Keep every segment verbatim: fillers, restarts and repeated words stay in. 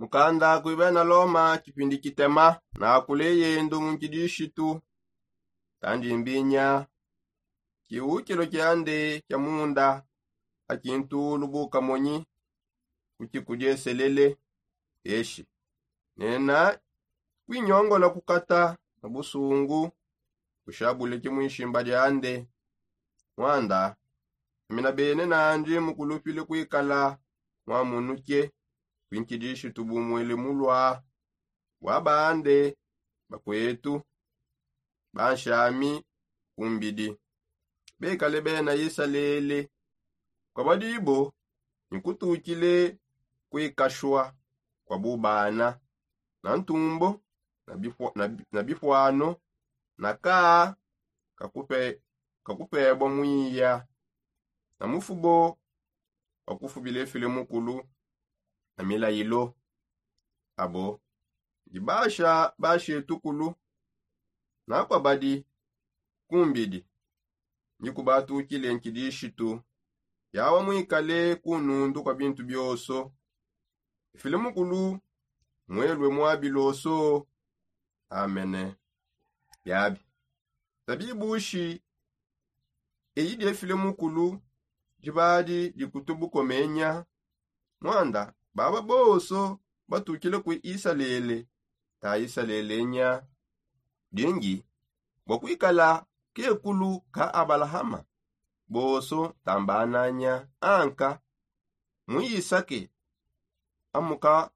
Mukanda kuibena loma kipindi kitema na kuleyendo mu nkidishitu. Tandi mbinya kiukilo kiande kia munda akintulu bukamonyi kukikudieselele eshi nena kwinyongola kukata na busungu kushabuleke mwishimba diande. Mwanda amina bene nandi mukulupile kwikala mwamunuke kwinkidishi tubumwele mulwa bwa bande bakwetu banshami kumbidi bekale bena isalele. Kwa badibo nikutukile kwikashwa kwa bubana na ntumbo na bifwano na kaa kakupebwa mwiya na mufubo wakufubila efile mukulu na milayilo. Abo ndi basha bashetukulu na kwa badi kumbidi ndi kubatukile nkidishitu yawa mwikale kunundu kwa bintu bioso. Ifile mukulu mwelwe mwabiloso. Amene. Biabi tabibushi eyi diefile mukulu dibadi dikutubukomenya. Mwanda baba boso batukile ku isalele ta isalele nya dingi bwa kwikala kekulu ka abalahama boso tambananya anka mu isake amuka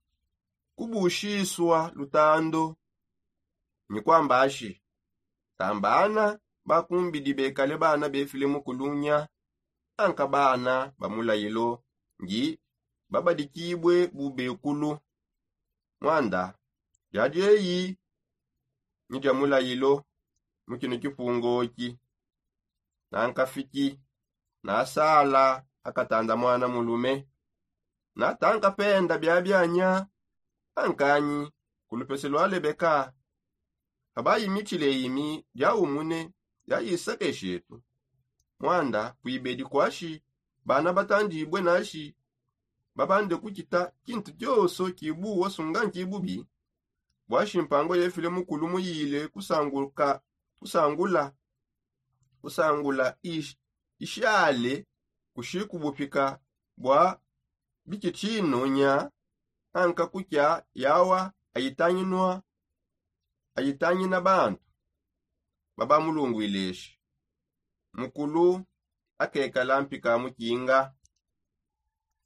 kubushiswa lutando. Nyi kwambashi tambana bakumbidi bekale bana befile mukulunya anka bana ba mulayilo ndi babadikibue bubekulu. Mwanda diadi eyi ni dia mulayilo mu kino kipungoki. Nankafiki nasala akatanda mwana mulume natankapenda biabianya ankanyi ku lupese lwa lebeka. Abayimitshile imi diawumune diayisakeshetu. Mwanda kuibedi kwashi bana batandibue nashi babande kukita kintu kioso kibuwa sunga nkibubi. Bwashi mpango yefile mukulu muyile kusangula kusangula ishale kushikubupika bwa bikitshino nya anka kukya yawa ayitanginwa ayitangina bantu babamulungwileshi. Mukulu akekala mpika mukinga.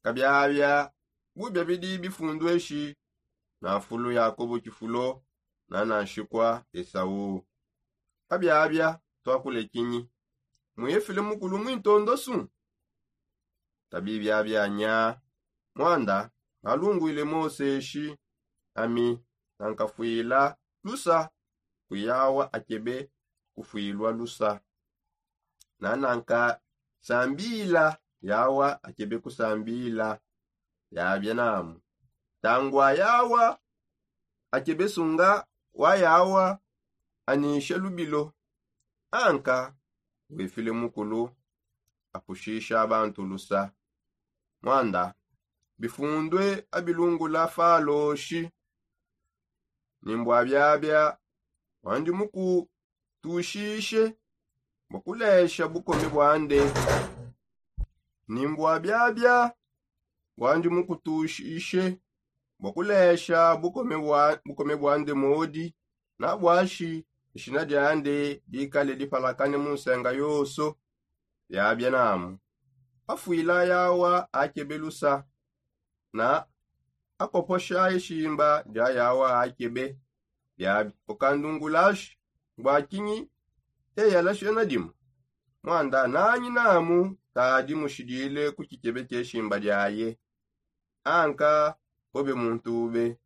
Kabiabia bubia bidi bifundweshi na fulu yakobo kifulo na na nshikwa esau. Kabiabia twakule kinyi mwefile mukulu mwintondo su. Tabibiabia nya mwanda nalungwile moseshi ami nankafwila lusa kuyawa akebe kufwilwa lusa na nankasambila yawa akebe kusambila. Yabia namu tangwa yawa akebe sunga wa yawa anishe lubilo anka wefile mukulu apushisha bantu lusa. Mwanda bifundue abilungula faloshi ni mbua biabia wandi mukutushishe bua kulesha bukome buande. Ni mbua biabia wandi mukutushishe bua kulesha bukome buande modi na buashi dishina diande dikale dipalakane mu nsenga yonso. Biabia namu afwila yawa akebe lusa na akoposha ishimba dia yawa akebe. Biabi ukandungulashi bua kinyi eyalasha na dimu mwanda nanyi namu tadi mushidile ku kikebe keshimba diaye. Anka obe muntu ube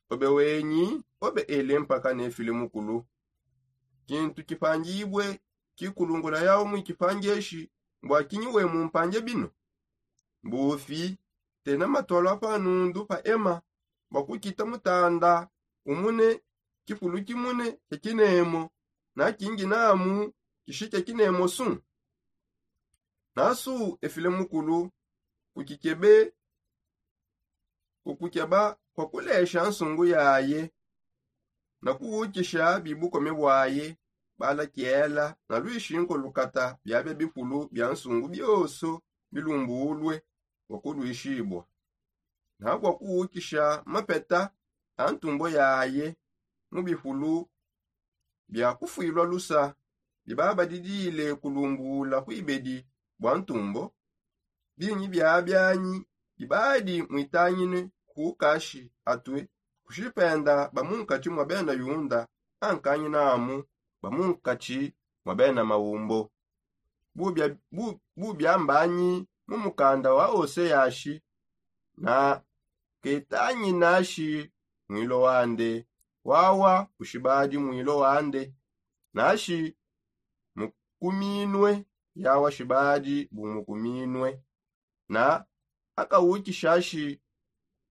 obe wenyi obe ele mpaka nefile mukulu. Kintu kipangibue kikulungula yawu mu kipangeshi mbua kinyi we mumpange bino? Mbufi tena matualu a pa nundu pa ema bua kukita mutanda umune kifulu kimune kia kinemo na kingi namu kishi kia kinemo su. Nasu efile mukulu ku kikebe Kukukeba kwa kulesha nsungu yaye na kuwukisha bibukome bwaye. Balakiela na lwishinku lukata biabia bipulu bia nsungu bioso bilumbulwe bua kulwishibua na bua kuwukisha mapeta a ntumbo yaye mu bipulu bia kufuilua lusa. Bibabadidile kulumbula kuibedi bua ntumbo binyi biabianyi bibadi muitangine ku kashi atue kushipenda ba munkatshi mua bena yunda ankanyi namu ba munkatshi mua bena maumbo. Bubia mbanyi mu mukanda wa oseyashi na ketanyinashi mwilo wande wawa kushibadi mwilo wande nashi mukuminue yawa shibadi bumukuminue na akawukishashi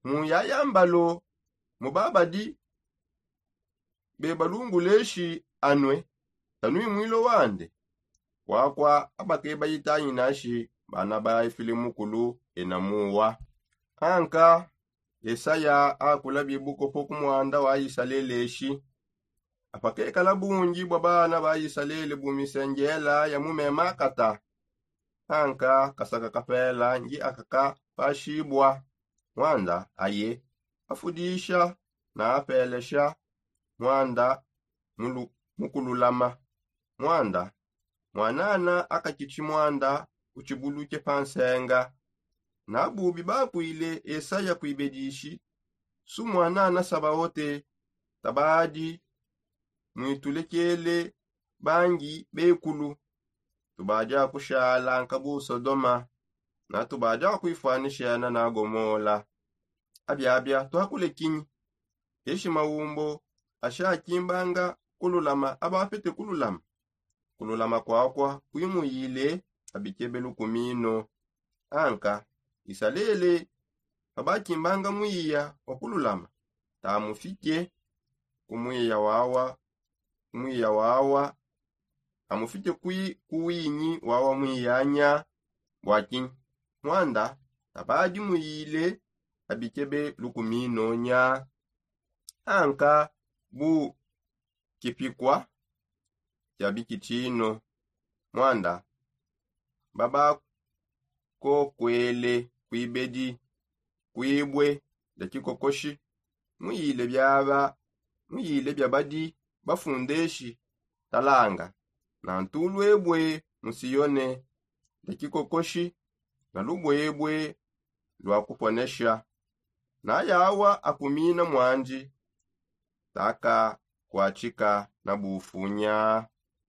mu yayambalo mu babadi bebalunguleshi anue tanui mwilo wande. Kwakua abakebayi tanyinashi bana ba efile mukulu enamuwa. Anka esaya akula bibukopo ku muanda wa isalele eshi apakekala bungi bua bana ba isalele bu misengela ya mu mema akata. Anka kasaka kapela ngi akaka pashibua muanda aye afudisha na apelesha muanda mukululama muanda muanana akakitshi muanda utshibuluke pa nsenga. Na bubi bakuile esaya kuibedishi su muanana sabaote tabadi muitulekele bangi bekulu. Tubadi akushala nkabu sodoma na tubadi akuifuanishena na gomola. Abiabia tuakule kinyi? Eshi maumbo ashakimbanga kululama aba apete kululama kululama kwakua kuimuyile abikebe lukumino. Anka isalele pabakimbanga muiya wa kululama tamufike ku muiya wawa ku muiya wawa amufike ku winyi wawa muiyanya. Bua kinyi? Muanda tabadi muyile abikebe lukumino nya. Anka bu kipikua kia bikitshino muanda babakokuele kuibedi kuibue dia kikokoshi muyile biaba muyile biabadi bafundeshi talanga na ntuluebue mu sione dia kikokoshi na lubuebue lua kuponesha. Na yawa akumina muandi takakuatshika na bufunya.